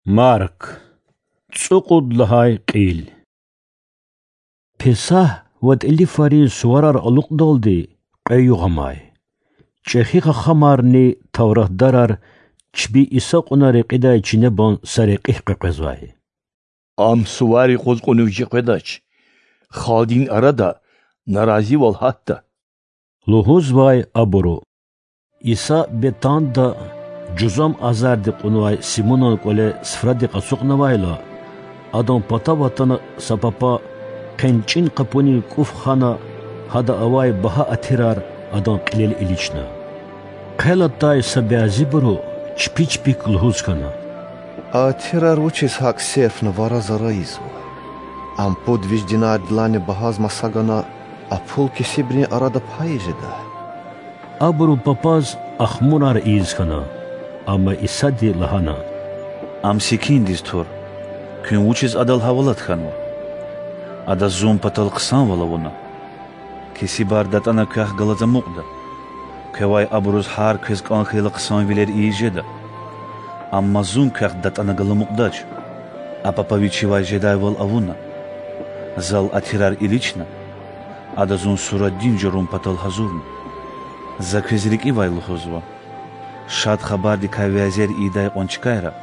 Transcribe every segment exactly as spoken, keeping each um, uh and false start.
Марк. ЦӀукьуд лагьай кьил. Песагь ва ТӀилифарин суварар алукьдалди кьве югъ амай. ЧӀехи хахамарни тавратдарар чпи Иса кьуна рекьидай чинебан са рекьихъ къекъвезвай. Ам сувар юкъуз кьунив чи къведач. Халкьдин арада наразивал гьатда,– лугьузвай абуру. Иса Бетанда жузам азарди кьунвай Симунан кӀвале суфрадихъ ацукьнавайла, Адан патав атана са папа хъенчӀин къапунин кӀуф хана, гьада авай багьа атирар Адан кьилел илична. Хъел атай са бязибуру чпи-чпихъ лугьуз хьана: Атирар вучиз гьакӀ серфна вара-зара ийизва? Ам пуд виш динардилайни багьаз маса гана, а пул кесибрин арада пай ийиз жеда. Абуру папаз ахмурар ийиз хьана. Амма Исади лагьана: Ам секиндиз тур. Куьн вучиз адал гьавалат хьанва? Ада Зун патал хъсанвал авуна. Кесибар датӀана квехъ галаз амукьда. Квевай абуруз гьар квез кӀан хьайила хъсанвилер ийиз жеда. Амма Зун квехъ датӀана галамукьдач. А папа вичивай жедайвал авуна. Зал атирар илична, ада Зун сура дин журун патал гьазурна. За квез рикӀивай лугьузва: Шад Хабардикай вязер ийидай кьван чкайра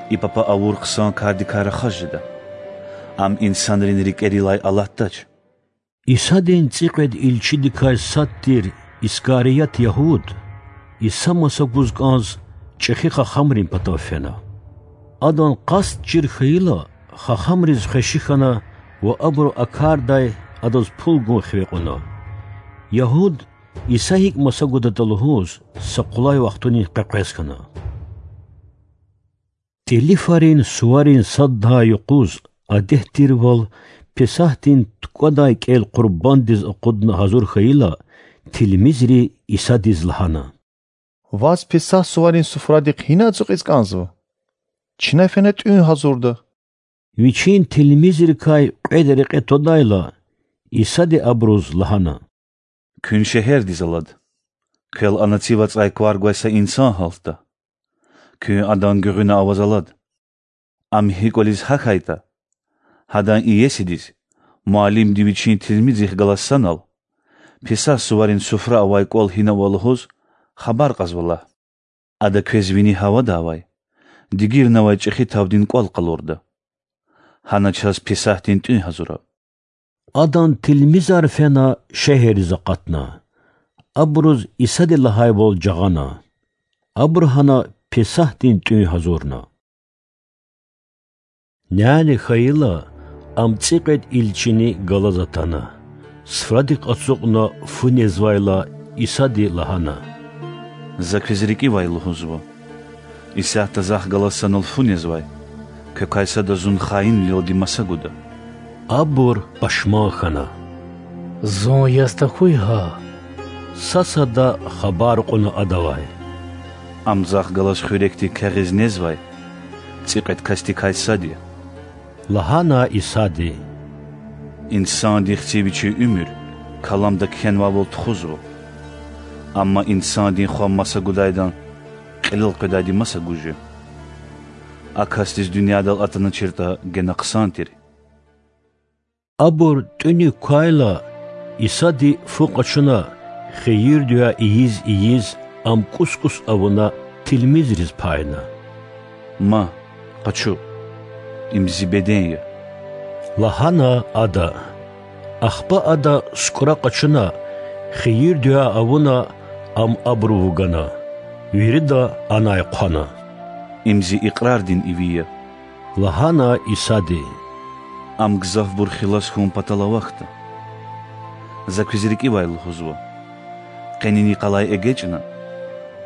и папа авур хъсан кардикай рахаз жеда. Ам инсанрин рикӀерилай алатдач. Исадин цӀикьвед илчидикай сад тир Искарият Ягьуд, Иса маса гуз кӀанз, чӀехи хахамрин патав фена. Адан къаст чир хьайила, хахамриз хвеши хьана ва абуру а кардай адаз пул гун хиве кьуна. Ягьуд, Иса гьикӀ маса гудатӀа лугьуз, са къулай вахтунин къекъвез хьана. ТӀилифарин суварин сад лагьай юкъуз, адет тирвал, Песагьдин тукӀвадай кӀел къурбанддиз акъудна гьазур хьайила, тилмизри Исадиз лагьана: Ваз Песагь суварин суфрадихъ гьина ацукьиз кӀанзава? Чна фена тӀуьн гьазурда. Вичин тилмизрикай кьвед рекье твадайла, Исади абуруз лагьана: Куьн шегьердиз алад. Квел ана цив ацӀай квар гвай са инсан гьалтда. Куьн адан гуьгъуьна аваз алад. Ам гьи кӀвализ гьахьайтӀа, гьадан иесидиз, муаллимди вичин тилмизрихъ галаз санал, Песагь суварин суфра авай кӀвал гьина ава лугьуз, хабар кьазва лагь. Ада квез вини гьавада авай, дигирнавай чӀехи тавдин кӀвал къалурда. Гьана чаз Песагьдин тӀуьн гьазура. Адан тилмизар фена шегьерриз акъатна. Абуруз Исади лагьайвал жагъана. Абуру гьана Песагьдин тӀуьн гьазурна. Няни хьайила, ам цӀикьвед илчини галаз атана. Суфрадихъ ацукьна фу незвайла, Исади лагьана: За квез рикӀивай лугьузва: исятда Захъ галаз санал фу незвай квекай сада Зун хаинвилелди маса гуда. Абур пашман хьана. Зун яз тахьуй гьа? Са-сада хабар кьуна Адавай: Ам Захъ галаз хуьрекдик кягъиз незвай цӀикьвед касдикай сад я,– лагьана Исади. Инсандин Хци вичин уьмуьр Каламда кхьенвайвал тухузва. Амма Инсандин Хва маса гудайдан кьилел къведайди маса гуж я. А касдиз дуьньядал атаначиртӀа гена хъсан тир. Абур тӀуьник квайла, Исади фу къачуна, хийирдивай ийиз-ийиз, ам кӀус-кӀус авуна, тилмизриз пайна. Ма, къачу, им Зи беден я,– лагьана Ада. Ахпа Ада сукӀра къачуна, хийирдивай авуна, ам абуру вугана. Вирида анай хъвана. Им Зи икьрардин иви я,– лагьана Исади. Ам гзафбур хилас хьун патал авахьда. За квез рикӀивай лугьузва: къенин йикъалай эгечӀна,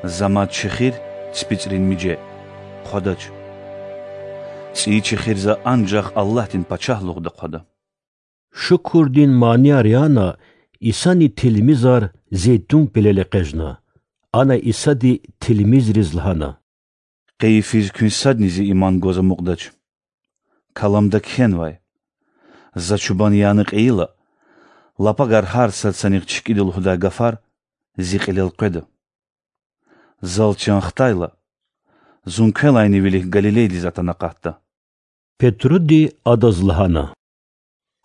За мад чехир, ципицӀрин миже, хъвадач. ЦӀийи чехир За анжах Аллагьдин Пачагьлугъда хъвада. Шукурдин манияр яна, Исани тилмизар Зейтун пелел экъечӀна. Ана Исади тилмизриз лагьана: Къе йифиз куьн садни Зи иман гваз амукьдач. Каламда кхьенвай: За чубан яна кьейила, лапагар гьар сад санихъ чкӀида лугьудай гафар Зи кьилел къведа. Зал чан хтайла, Зун квелайни вилик Галилейдиз атана акъатда. Петруди адаз лагьана: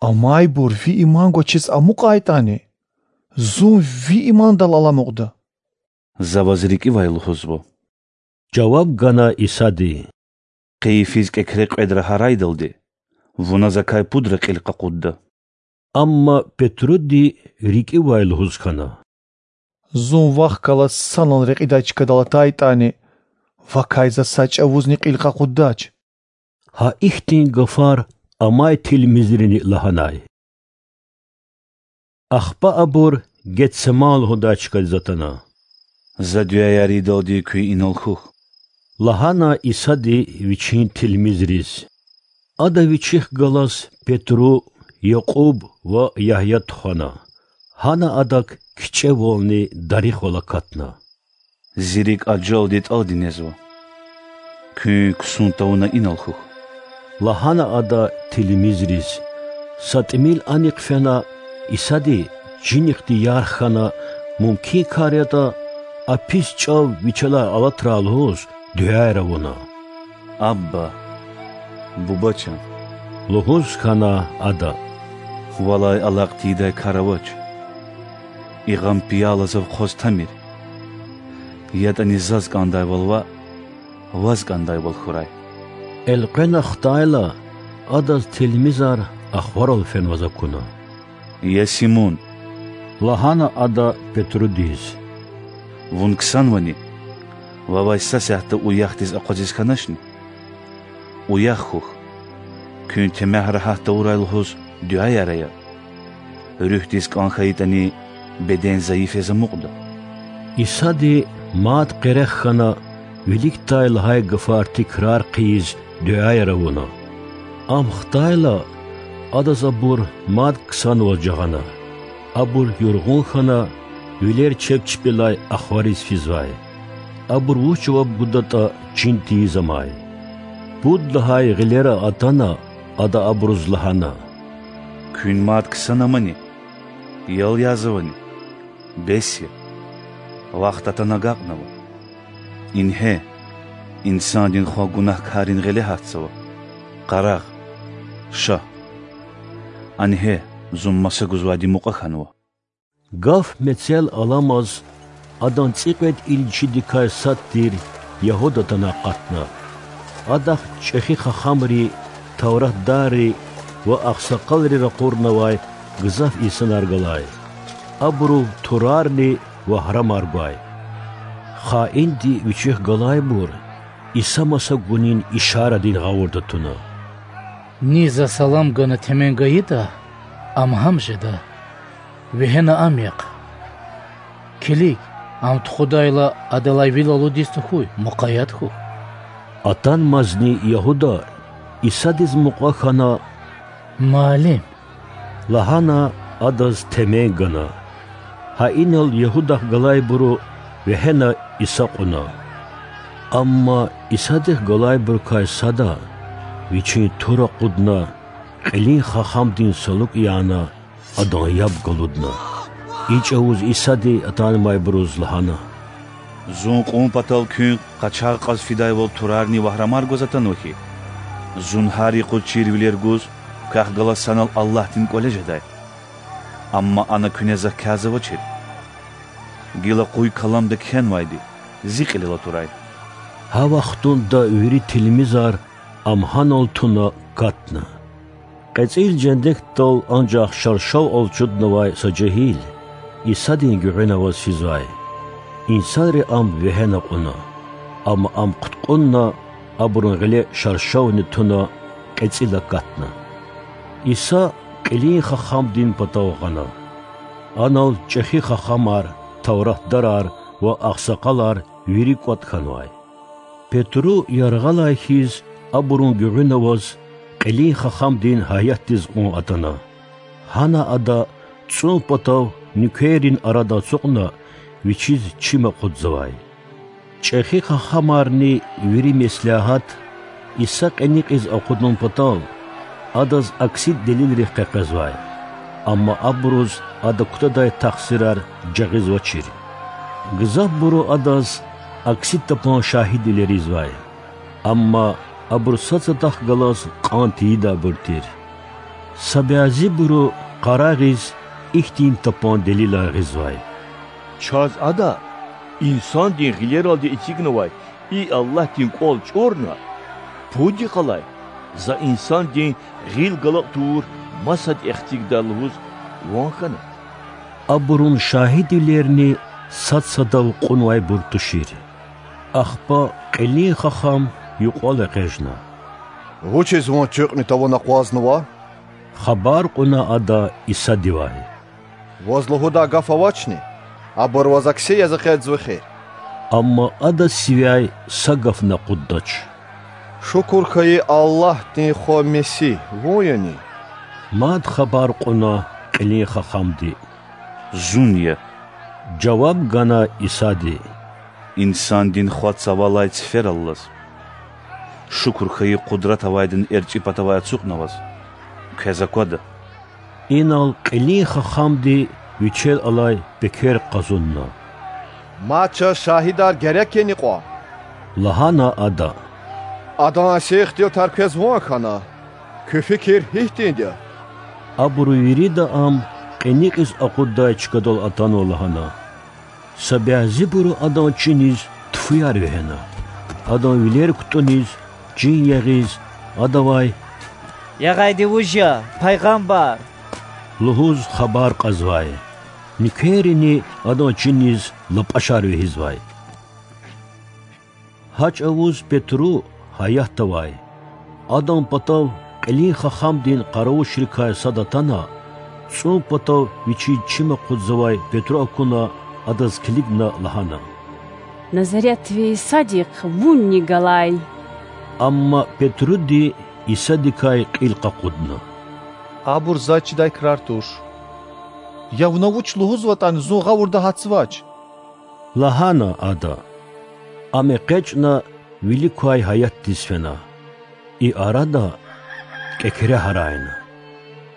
Амайбур ви иман гвачиз амукьайтӀани, зун ви имандал аламукьда. За ваз рикӀивай лугьузва,— жаваб гана Исади,— къе йифиз кӀекре кьвед рагьарайдалди вуна закай пудра кьил къакъудда. Амма Петруди рикӀивай лугьуз хьана: Зун вахъ галаз санал рекьидай чкадал атайтӀани, вакай за са чӀавузни кьил къакъуддач. Гьа ихьтин гафар амай тилмизрини лагьанай. Ахпа абур Гетсеман лугьудай чкадиз атана. За дуьаяр ийидалди куьн инал хьухь,— лагьана Исади Вичин тилмизриз. Ада Вичихъ галаз Петру, Якьуб ва Ягья тухвана. Гьана Адак кичӀевални дарихвал акатна. Зи рикӀ ажалди тӀалди незва. Куьн ксун тавуна инал хьухь,— лагьана Ада тилмизриз. Са тӀимил анихъ фена, Исади, чинихъди ярх хьана, мумкин кар ятӀа, а пис чӀав Вичелай алатрай лугьуз дуьаяр авуна. Абба, Буба чан,— лугьуз хьана Ада,— валай алакь тийидай кар авач. И гъам пияла Зав хъваз тамир. ЯтӀани Заз кӀандайвал ваъ, Ваз кӀандайвал хьурай. Элкъвена хтайла, Адаз тилмизар ахварал фенваз акуна. Я Симун,— лагьана Ада Петрудиз,— вун ксанвани? Вавай са сятда уяхдиз акъвазиз хьаначни? Уях хьухь, куьн темягь рагьат тавурай лугьуз дуьаяр ая. Руьгьдиз кӀан хьайитӀани, беден зайиф яз амукьда. Исади мад къерех хьана, виликдай лагьай гафар тикрар хъийиз, дуьаяр авуна. Ам хтайла, Адаз абур мад ксанваз жагъана. Абур юргъун хьана, вилер чеб чпелай ахвариз физвай. Абур вуч жаваб гудатӀа чин тийиз амай. Пуд лагьай гъилера атана, Ада абуруз лагьана: Куьн мад ксана амани? Ял язавани? Бес я, вахт атана агакьнава. Ингье, Инсандин Хва гунагькаррин гъиле гьатзава. Къарагъ, ша, ангье, Зун маса гузвайди мукьва хьанва. Гаф мецел аламаз, Адан цӀикьвед илчидикай сад тир Ягьуда атана акъатна. Адахъ чӀехи хахамри, тавратдарри ва агъсакъалри ракъурнавай гзаф инсанар галай. Абурув турарни вагьрамар гвай. Хаинди вичихъ галайбур Иса маса гунин ишарадин гъавурда туна: Ни За салам гана темен гайитӀа, ам гьам жеда. Вегьена ам яхъ. Килиг, ам тухудайла, адалай вил алудиз тахьуй, мукъаят хьухь. Атанмазни Ягьуда, Исадиз мукьва хьана: Муаллим! лагьана, Адаз темен гана. Гьа инал Ягьудахъ галайбуру вегьена Иса кьуна. Амма Исадихъ галайбурукай сада, вичин тур акъудна, кьилин хахамдин салукӀ яна, адан яб галудна. И чӀавуз Исади атанмайбуруз лагьана: Зун кьун патал куьн къачагъ кьаз фидайвал турарни вагьрамар гваз атанва хьи? Зун гьар юкъуз чирвилер гуз, квехъ галаз санал Аллагьдин КӀвале жедай. Амма ана куьне Захъ кязавачир. Гила къуй каламда кхьенвайди Зи кьилел атурай. Гьа вахтунда вири тилмизар ам гьанал туна катна. КьецӀил жендекдал анжах шаршав алчуднавай са жегьил, Исадин гуьгъуьна аваз физвай. Инсанри ам вегьена кьуна, амма ам хъуткьунна, абурун гъиле шаршавни туна, кьецӀил акатна. Иса кьилин хахамдин патав гъана. Анал чӀехи хахамар, тавратдарар ва агъсакъалар вири кӀватӀ хьанвай. Петру яргъалай хьиз абурун гуьгъуьна аваз кьилин хахамдин гьаятдиз кьун атана. Гьана ада цӀун патав нуькеррин арада ацукьна, вичиз чим акъудзавай. ЧӀехи хахамарни вири меслягьат, Иса кьиникьиз акъудун патал, Адаз акси делилрихъ къекъвезвай, амма абуруз Ада кутадай тахсирар жагъизвачир. Гзафбуру Адаз акси тапан шагьидвилер ийизвай. Амма абур сад-садахъ галаз кьан тийидайбур тир. Са бязибуру къарагъиз ихьтин тапан делилар гъизвай: Чаз Ада Инсандин гъилералди эцигнавай и Аллагьдин КӀвал чӀурна, пуд йикъалай За Инсандин гъил галакь тавур масад эхцигда лугьуз ван хьана. Абурун шагьидвилерни сад-садав кьунвайбур тушир. Ахпа кьилин хахам юкьвал экъечӀна: Вучиз вун туьхуьни тавуна акъвазнава? Хабар кьуна ада Исадивай: Ваз лугьудай гаф авачни? Абур ваз акси яз экъечӀзава эхир. Амма ада сивяй са гафни акъуддач: Шукур хьайи Аллагьдин Хва Месигь Вун яни? Мад хабар кьуна кьилин хахамди: Зун я,— жаваб гана Исади,— Инсандин Хва цавалай цифераллаз. Шукур хьайи къудрат авайдин эрчӀи патавай ацукьна ваз. Квез аквада. Инал кьилин хахамди вичел алай пекер къазунна. Мад чаз шагьидар герек яни кьван? лагьана ада. Адан сихилтар квез ван хьана. Куь фикир гьихьтинди я? Абуру вирида ам кьиникьиз акъуддай чкадал атанва лагьана. Са бязибуру адан чиниз тфуяр вегьена. Адан вилер кутӀуниз, чин ягъиз, адавай: Ягъайди вуж я, пайгъамбар? лугьуз хабар кьазвай. Нуькеррини адан чиниз лапӀашар вегьизвай. Гьа чӀавуз Петру, гьаятда авай, адан патав кьилин хахамдин къаравулчийрикай сад атана, цӀун патав вичиз чим акъудзавай Петру акуна, адаз килигна лагьана: Назаретви Исадихъ вунни галай. Амма Петруди Исадикай кьил къакъудна: Абур заз чидай крар туш. Я вуна вуч лугьузватӀани зун гъавурда гьатзавач,— лагьана ада. Ам экъечӀна вилик квай гьаятдиз фена. И арада кӀекре гьарайна.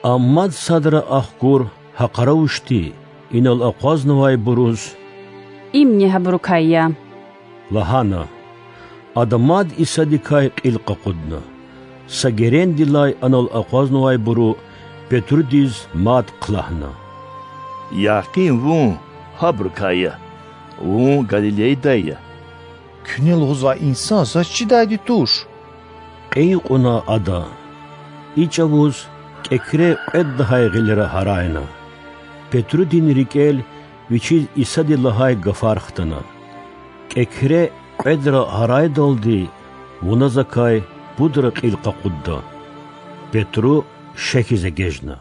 Ам мад садра ахкур гьа къаравушди инал акъвазнавайбуруз: Имни гьабурукай я,— лагьана. Ада мад Исадикай кьил къакъудна. Са герендилай анал акъвазнавайбуру Петрудиз мад хълагьна: Якъин вун гьабурукай я, вун Галилейдай я. Куьне лугьузвай инсан заз чидайди туш,— кьин кьуна ада. И чӀавуз кӀекре кьвед лагьай гъилера гьарайна. Петрудин рикӀел вичиз Исади лагьай гафар хтана. КӀекре кьведра гьарайдалди вуна закай пудра кьил къакъудда. Петру шехьиз эгечӀна.